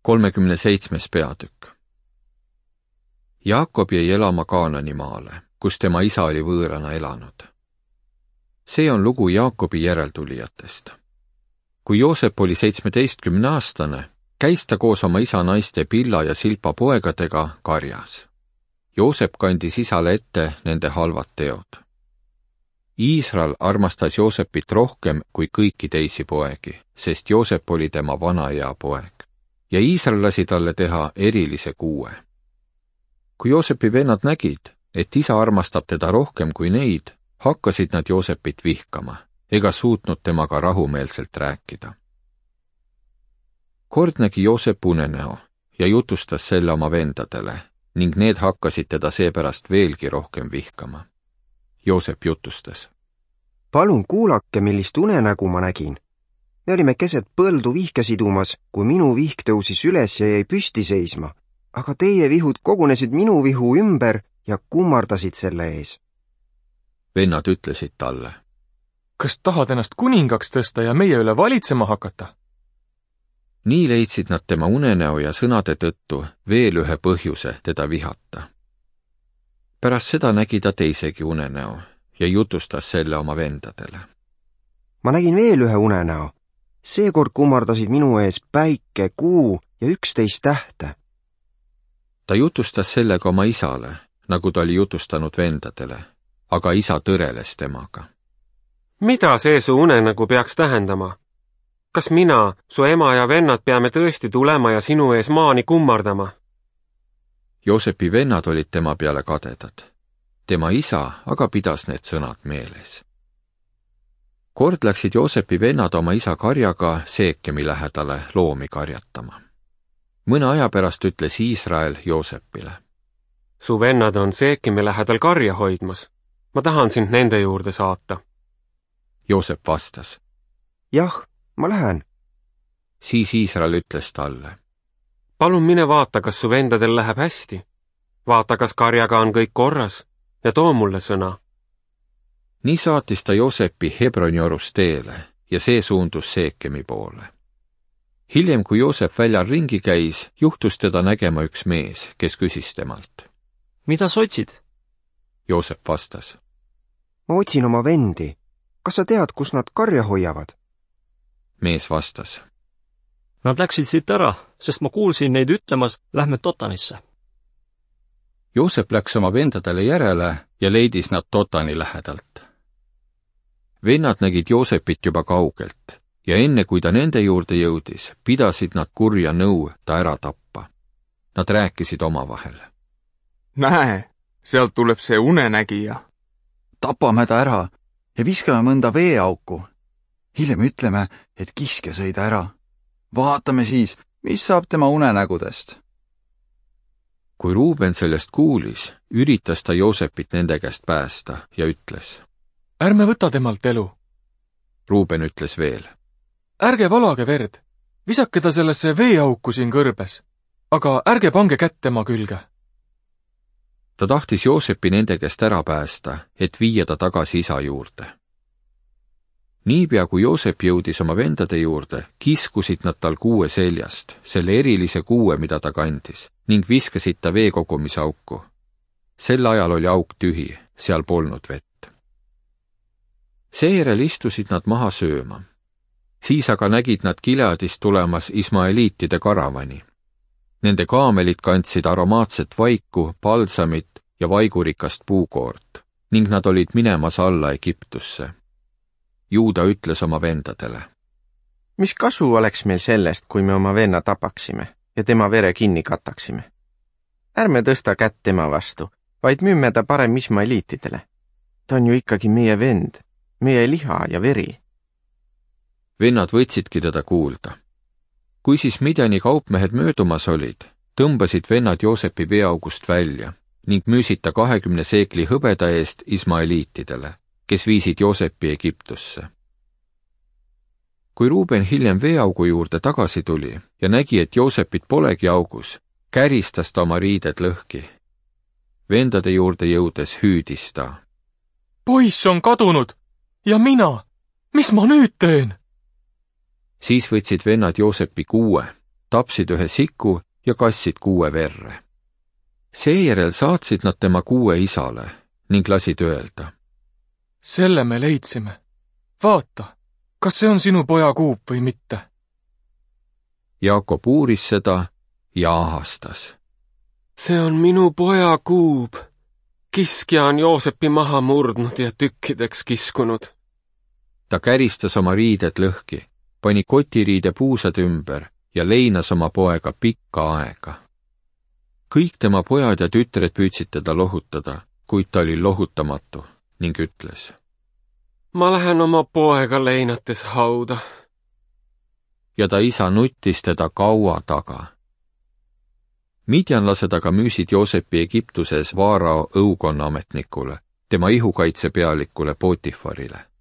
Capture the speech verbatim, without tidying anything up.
kolmekümne seitsmes peatükk. Jaakob jäi elama Kaanani maale, kus tema isa oli võõrana elanud. See on lugu Jaakobi järeltulijatest. Kui Joosep oli seitsmeteistkümne aastane, käis ta koos oma isa naiste Pilla ja Silpa poegadega karjas. Joosep kandis isale ette nende halvad teod. Iisrael armastas Joosepit rohkem kui kõiki teisi poegi, sest Joosep oli tema vanaea poeg. Ja Iisrael lasi talle teha erilise kuue. Kui Joosepi vennad nägid, et isa armastab teda rohkem kui neid, hakkasid nad Joosepit vihkama, ega suutnud temaga rahumeelselt rääkida. Kord nägi Joosep unenäo ja jutustas selle oma vendadele, ning need hakkasid teda seepärast veelgi rohkem vihkama. Joosep jutustas. Palun kuulake, millist unenägu ma nägin. Me olime keset põldu vihke sidumas, kui minu vihk tõusis üles ja jäi püsti seisma, aga teie vihud kogunesid minu vihu ümber ja kummardasid selle ees. Vennad ütlesid talle. Kas tahad ennast kuningaks tõsta ja meie üle valitsema hakata? Nii leidsid nad tema unenäo ja sõnade tõttu veel ühe põhjuse teda vihata. Pärast seda nägi ta teisegi unenäo ja jutustas selle oma vendadele. Ma nägin veel ühe unenäo. Seekord kummardasid minu ees päike, kuu ja üksteist tähte. Ta jutustas sellega oma isale, nagu ta oli jutustanud vendadele, aga isa tõreles temaga. Mida see su unenägu peaks tähendama? Kas mina, su ema ja vennad peame tõesti tulema ja sinu ees maani kummardama? Joosepi vennad olid tema peale kadedad. Tema isa aga pidas need sõnad meeles. Kord läksid Joosepi vennad oma isa karjaga Seekemi lähedale loomi karjatama. Mõne aja pärast ütles Iisrael Joosepile. Su vennad on Seekemi lähedal karja hoidmas. Ma tahan sind nende juurde saata. Joosep vastas. Jah, ma lähen. Siis Iisrael ütles talle. Palun mine vaata, kas su vendadel läheb hästi. Vaata, kas karjaga on kõik korras ja too mulle sõna. Nii saatis ta Joosepi Hebroni orust teele ja see suundus Seekemi poole. Hiljem, kui Joosep väljal ringi käis, juhtus teda nägema üks mees, kes küsis temalt. Mida sa otsid? Joosep vastas. Ma otsin oma vendi. Kas sa tead, kus nad karja hoiavad? Mees vastas. Nad läksid siit ära, sest ma kuulsin neid ütlemas, lähme Dotanisse. Joosep läks oma vendadele järele ja leidis nad Dotani lähedalt. Vennad nägid Joosepit juba kaugelt ja enne kui ta nende juurde jõudis, pidasid nad kurja nõu ta ära tappa. Nad rääkisid omavahel. Näe, sealt tuleb see unenägija. Tapame ta ära ja viskame mõnda veeauku. Hiljem ütleme, et kiske sõi ta ära. Vaatame siis, mis saab tema unenägudest. Kui Ruuben sellest kuulis, üritas ta Joosepit nende käest päästa ja ütles. Ärme võta temalt elu. Ruuben ütles veel. Ärge valage verd, visake ta sellesse veeauku siin kõrbes, aga ärge pange kätt tema külge. Ta tahtis Joosepi nende käest ära päästa, et viia ta tagasi isa juurde. Niipea kui Joosep jõudis oma vendade juurde, kiskusid nad tal kuue seljast, selle erilise kuue, mida ta kandis, ning viskasid ta veekogumise auku. Sel ajal oli auk tühi, seal polnud vett. Seejärel istusid nad maha sööma. Siis aga nägid nad Gileadist tulemas Ismaeliitide karavani. Nende kaamelid kandsid aromaatset vaiku, palsamit ja vaigurikast puukoort, ning nad olid minemas alla Egiptusse. Juuda ütles oma vendadele. Mis kasu oleks meil sellest, kui me oma venna tapaksime ja tema vere kinni kataksime? Ärme tõsta kätt tema vastu, vaid müüme ta parem Ismaeliitidele. Ta on ju ikkagi meie vend, meie liha ja veri. Vennad võtsidki teda kuulda. Kui siis Midjani kaupmehed möödumas olid, tõmbasid vennad Joosepi veeaugust välja ning müüsid ta kahekümne seekli hõbeda eest Ismaeliitidele, kes viisid Joosepi Egiptusse. Kui Ruuben hiljem veeaugu juurde tagasi tuli ja nägi, et Joosepit polegi augus, käristas ta oma riided lõhki. Vendade juurde jõudes hüüdis ta. Poiss on kadunud ja mina, mis ma nüüd teen? Siis võtsid vennad Joosepi kuue, tapsid ühe siku ja kassid kuue verre. Seejärel saatsid nad tema kuue isale ning lasid öelda. Selle me leidsime. Vaata, kas see on sinu poja kuup või mitte? Jaakob uuris seda ja ahastas. See on minu poja kuub. Kiskja on Joosepi maha murdnud ja tükkideks kiskunud. Ta käristas oma riided lõhki, pani kotiriide puusad ümber ja leinas oma poega pikka aega. Kõik tema pojad ja tütred püüdsid teda lohutada, kuid ta oli lohutamatu ning ütles. Ma lähen oma poega leinates hauda. Ja ta isa nuttis teda kaua taga. Midjanlased aga müüsid Joosepi Egiptuses Vaarao õukonna ametnikule, tema ihukaitse pealikule Potifarile.